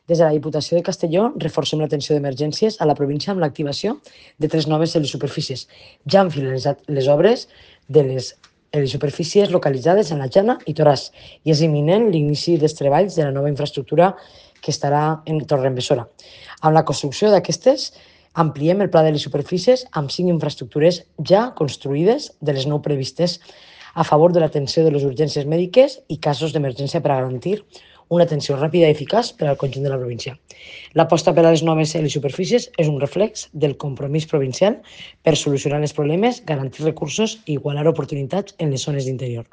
Des de la Diputació de Castelló reforcem l'atenció d'emergències a la província amb l'activació de 3 noves helisuperfícies. Ja han finalitzat les obres de les helisuperfícies localitzades en la Jana i Toràs i és imminent l'inici dels treballs de la nova infraestructura que estarà en Torredembarra. Amb la construcció d'aquestes, ampliem el pla de les superfícies amb 5 infraestructures ja construïdes de les 9 previstes a favor de l'atenció de les urgències mèdiques i casos d'emergència per a garantir una atenció ràpida i eficaç per al conjunt de la província. L'aposta per a les noves helisuperfícies és un reflex del compromís provincial per solucionar els problemes, garantir recursos i igualar oportunitats en les zones d'interior.